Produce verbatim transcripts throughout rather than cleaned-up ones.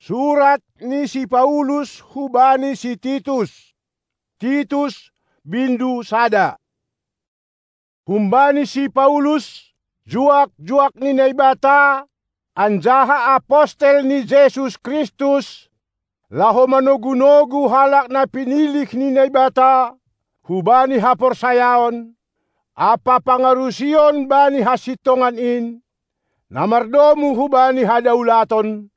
Surat ni si Paulus hubani si Titus. Titus, bindu sada. Humbani si Paulus, juak-juak ni Naibata, anjaha apostel ni Jesus Kristus, laho manogu-nogu halak na pinilih ni Naibata, hubani haporsayaon, ampa pangarusion bani hasintongan in, na mardomu hubani hadaulaton,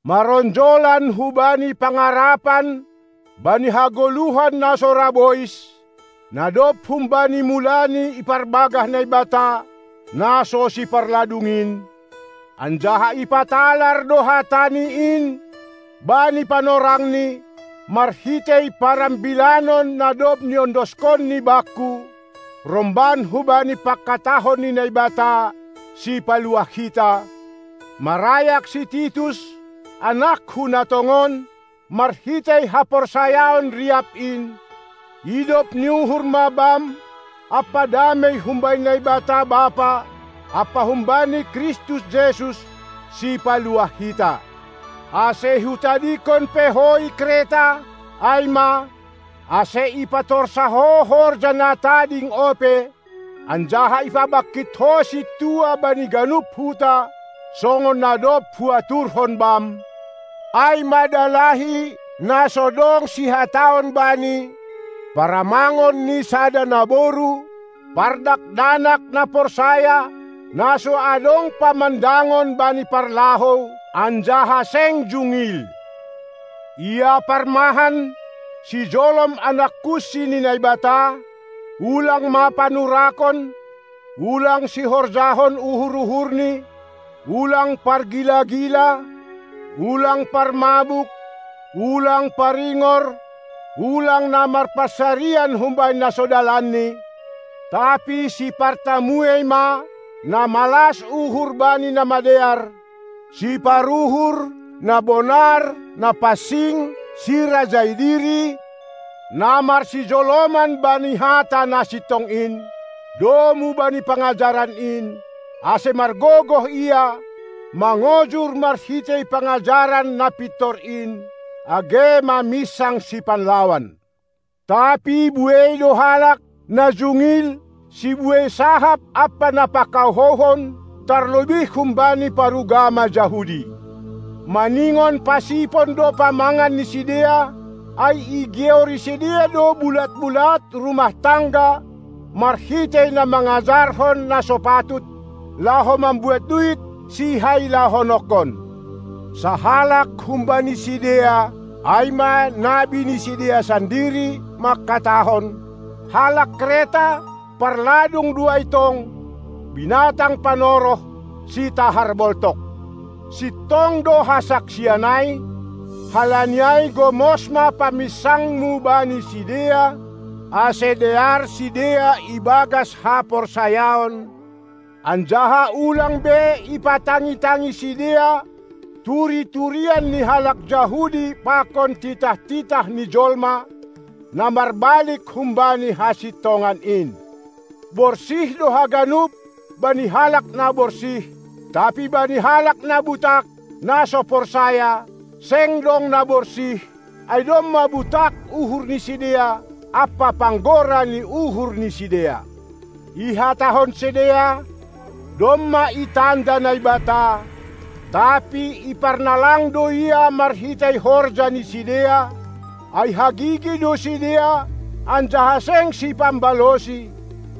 maronjolan hubani pangarapan, bani hagoluhan na so ra bois, na dob humbani mula ni iparbagah Naibata, na so siparladung in, anjaha ipatalar do hatani in bani panorangni, marhitei parambilanon na dob niondoskonni bangku, romban hubani pangkatahon ni Naibata, Sipaluah hita, marayak si Titus, anakku na tongon, marhitei haporsayaon riap in. Idop ni uhur ma bam, ampa damei humbani Naibata Bapa, ampa humbani Kristus Jesus, Sipaluah hita. Ase hutadingkon pe ho i Kreta, ai ma, ase ipatorsa ho horja na tading ope, anjaha ipabangkit ho sintua bani ganup huta, songon na dob huaturhon bam. Ai ma dalahi na so dong sihataon bani, paramangon ni sada naboru, pardakdanak na porsaya, na so adong pamandangon bani parlahou, anjaha seng jungil. Ia parmahan, sijolom anak kunsi ni Naibata, ulang ma panurakon, ulang sihorjahon uhur-uhurni, ulang pargila-gila, ulang parmabuk, ulang paringor, ulang na marpansarian humbani na so dalanni, tapi sipartamuei ma, na malas uhur bani na madear, siparuhur, na bonar, na pansing, sirajai diri, na marsijoloman bani hata na sintong in, domu bani pangajaran in, ase margogoh ia, mangojur marhitei pangajaran na pintor in, age maminsang sipanlawan. Tapi buei do halak, na jungil, sibuei sahap ampa na pangkauhouhon, tarlobih humbani parugama Jahudi. Maningon pasipon do pamangan ni sidea, ai igeori sidea do bulat-bulat rumah tangga, marhitei na mangajarhon na so patut, laho mambuat duit sihailahononkon. Sahalak humbani sidea, ai ma nabi ni sidea sandiri, mangkatahon: Halak Kreta parladung do ai tong, binatang panoroh, sitahar boltok. Sintong do hasaksian ai, halani ai gomos ma paminsangmu bani sidea, ase dear sidea ibagas haporsayaon, anjaha ulang be ipatangi-tangi sidea turi-turian ni halak Jahudi pakon titah-titah ni jolma, na marbalik humbani hasintongan in. Borsih do haganup bani halak na borsih, tapi bani halak na butak, na so porsaya, seng dong na borsih, ai domma butak uhur ni sidea ampa panggora ni uhur ni sidea. Ihatahon sidea: Domma itanda Naibata, tapi iparnalang do Ia marhitei horja ni sidea, ai hagigi do sidea, anjaha seng sipambalosi,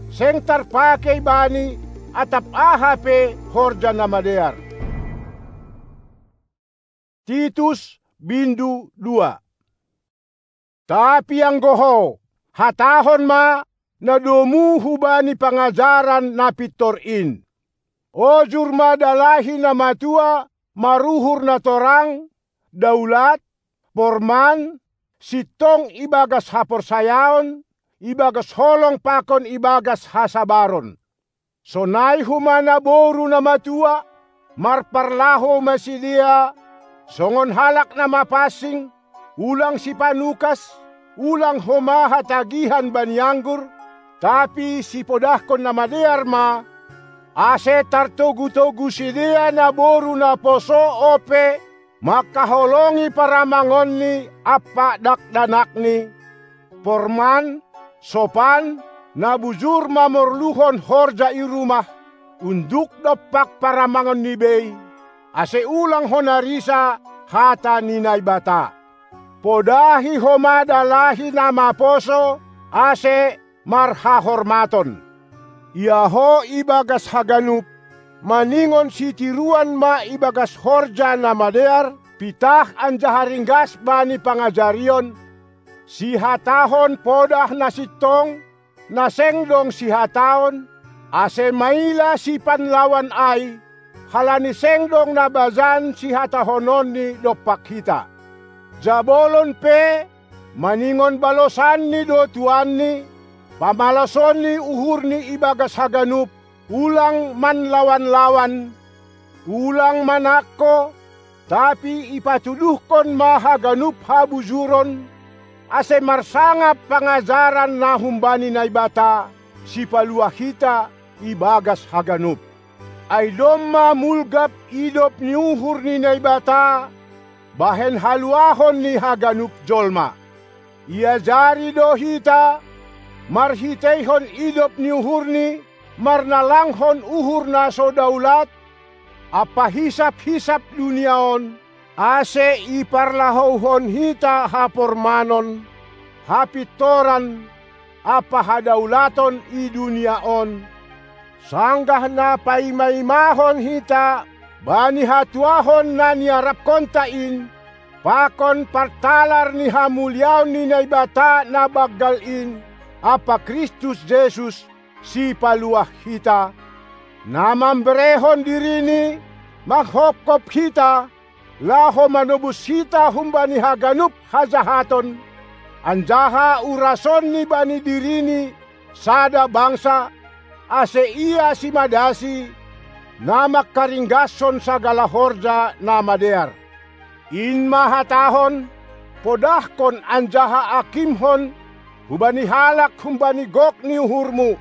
seng tarpakei bani atap aha pe horja na madear. Titus, bindu dua. Tapi anggo ho, hatahon ma na domu hubani pangajaran na pintor in. Ojur ma dalahi na matua maruhur na torang, daulat, porman, sintong ibagas haporsayaon, ibagas holong pakon ibagas hasabaron. Sonai homa naboru na matua, marparlahou ma sidea, songon halak na mapansing, ulang sipanukas, ulang homa hatagihan bani anggur, tapi sipodahkon na madear ma, ase tartogu-togu sidea naboru na poso ope, mangkaholongi paramangonni ampa dakdanakni, porman, sopan, na bujur mamorluhon horja i rumah, unduk dompak paramangonni bei, ase ulang hona risa hata ni Naibata. Podahi homa dalahi na maposo, ase marhahormaton. Ia ho ibagas haganup, maningon sitiruan ma ibagas horja na madear, pitah anjaha ringgas bani pangajarion, sihatahon podah na sintong, na seng dong sihataon, ase maila sipanlawan ai, halani seng dong na bajan sihatahononni dompak hita. Jabolon pe, maningon balosanni do tuanni, pamalasonni uhurni ibagas haganup, ulang manlawan-lawan, ulang manangko, tapi ipatuduhkon ma haganup habujuron, ase marsangap pangajaran na humbani Naibata, Sipaluah hita, ibagas haganup. Ai domma mulgap idop ni uhur ni Naibata bahen haluahon ni haganup jolma. Iajari do hita, marhiteihon idop ni uhurni, marnalanghon uhur na so daulat, ampa hisap-hisap dunia on, ase iparlahouhon hita hapormanon, hapintoran, ampa hadaulaton i dunia on, sanggah na paima-imahon hita bani hatuahon na niarapkonta in, pakon partalar ni hamuliaon ni Naibata na banggal in, ampa Kristus Jesus, Sipaluah hita, na mamberehon diriNi, manghopkop hita, laho manobus hita humbani haganup hajahaton, anjaha urasonNi bani diriNi sada bangsa, ase Ia simadasi, na mangkaringgashon sagala horja na madear. In ma hatahon, podahkon anjaha akimhon, hubani halak humbani gok ni uhurmu,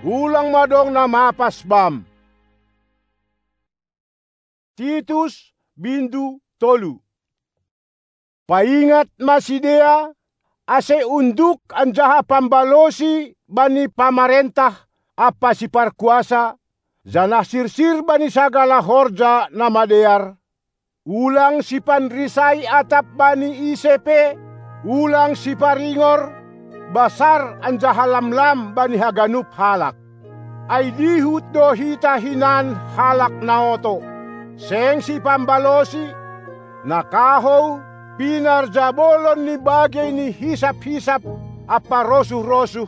ulang ma dong na mapas bam. Titus, bindu tolu. Paingat ma sidea, ase unduk anjaha pambalosi bani pamarentah ampa siparkuasa, janah sirsir bani sagala horja na madear, ulang sipanrisai atap bani ise pe, ulang siparingor, basar anjaha lamlam bani haganup halak. Ai dihut do hita hinan halak na oto, seng sipambalosi, na kahou, pinarjabolon ni bagei ni hisap-hisap ampa rosuh-rosuh,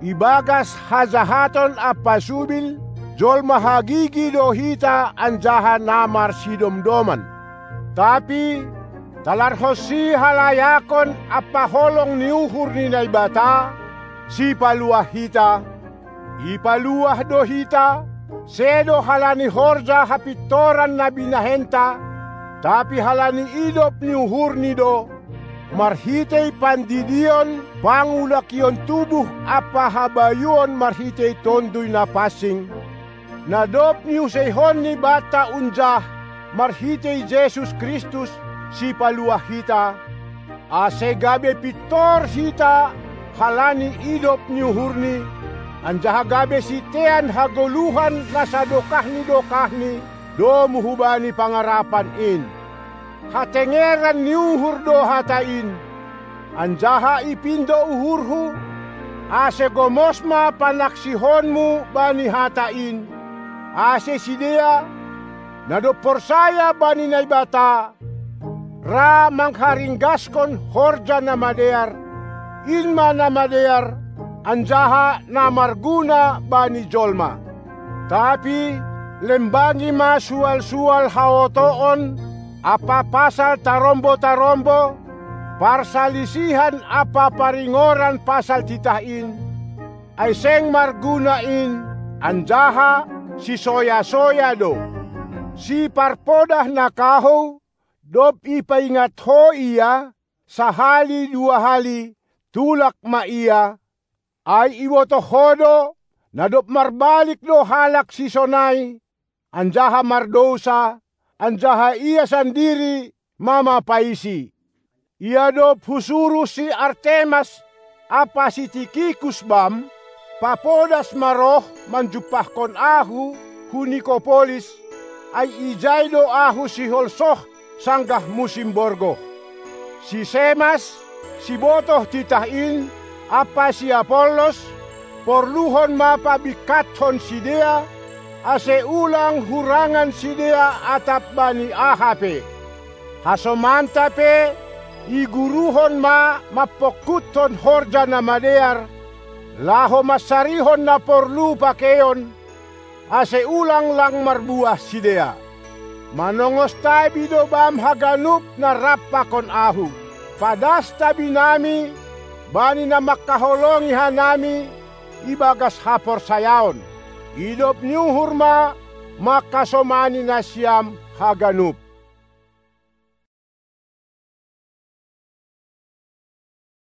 ibagas hajahaton ampa subil, jolma hagigi do hita anjaha na marsidomdoman. Tapi, talarhon sihalayakon ampa holong ni uhur ni Naibata, Sipaluah hita, ipaluah do hita, sedo halani horja hapintoran na binahenta, tapi halani idop ni uhurNi do, marhitei pandidion, pangulakion tubuh ampa habayuon marhitei Tonduy Na Pansing, na dob niuseihonNi banta unjah marhitei Jesus Kristus, Sipaluah hita, ase gabe pintor hita halani idop ni uhurNi, anjaha gabe sitean hagoluhan na sadokah ni dokahni domu hubani pangarapan in. Hatengeran ni uhur do hata in, anjaha ipindo uhurhu, ase gomos ma panaksihonmu bani hata in, ase sidea, na dob porsaya bani Naibata, ra mangharinggaskon horja na madear, in ma na madear, anjaha na marguna bani jolma. Tapi, lembangi ma sual-sual haotoon, ampa pasal tarombo-tarombo, parsalisihan ampa paringoran pasal titah in, ai seng marguna in, anjaha sisoya-soya do. Siparpodah na kahou, dob ipaingat ho ia, sahali dua hali, tulak ma ia, ai ibotoh ho do, na dob marbalik do halak sisonai, anjaha mardousa, anjaha ia sandiri mamapaisi. Ia dob husuruh si Artemas ampa si Tikhikus bam, papodas ma roh manjumpahkon ahu hu Nikopolis, ai ijai do ahu sihol soh sanggah musim borgoh. Si Semas, sibotoh titah in, ampa si Apollos, porluhon ma pabingkathon sidea, ase ulang hurangan sidea atap bani aha pe. Hasomanta pe iguruhon ma mampongkuthon horja na madear, laho mansarihon na porlu pakeion, ase ulang lang marbuah sidea. Manongos tabi do bam haganup na rap pakon ahu. Padas tabinami bani na mangkaholongi hanami ibagas haporsayaon. Idop ni uhur ma mangkasomani nasiam haganup.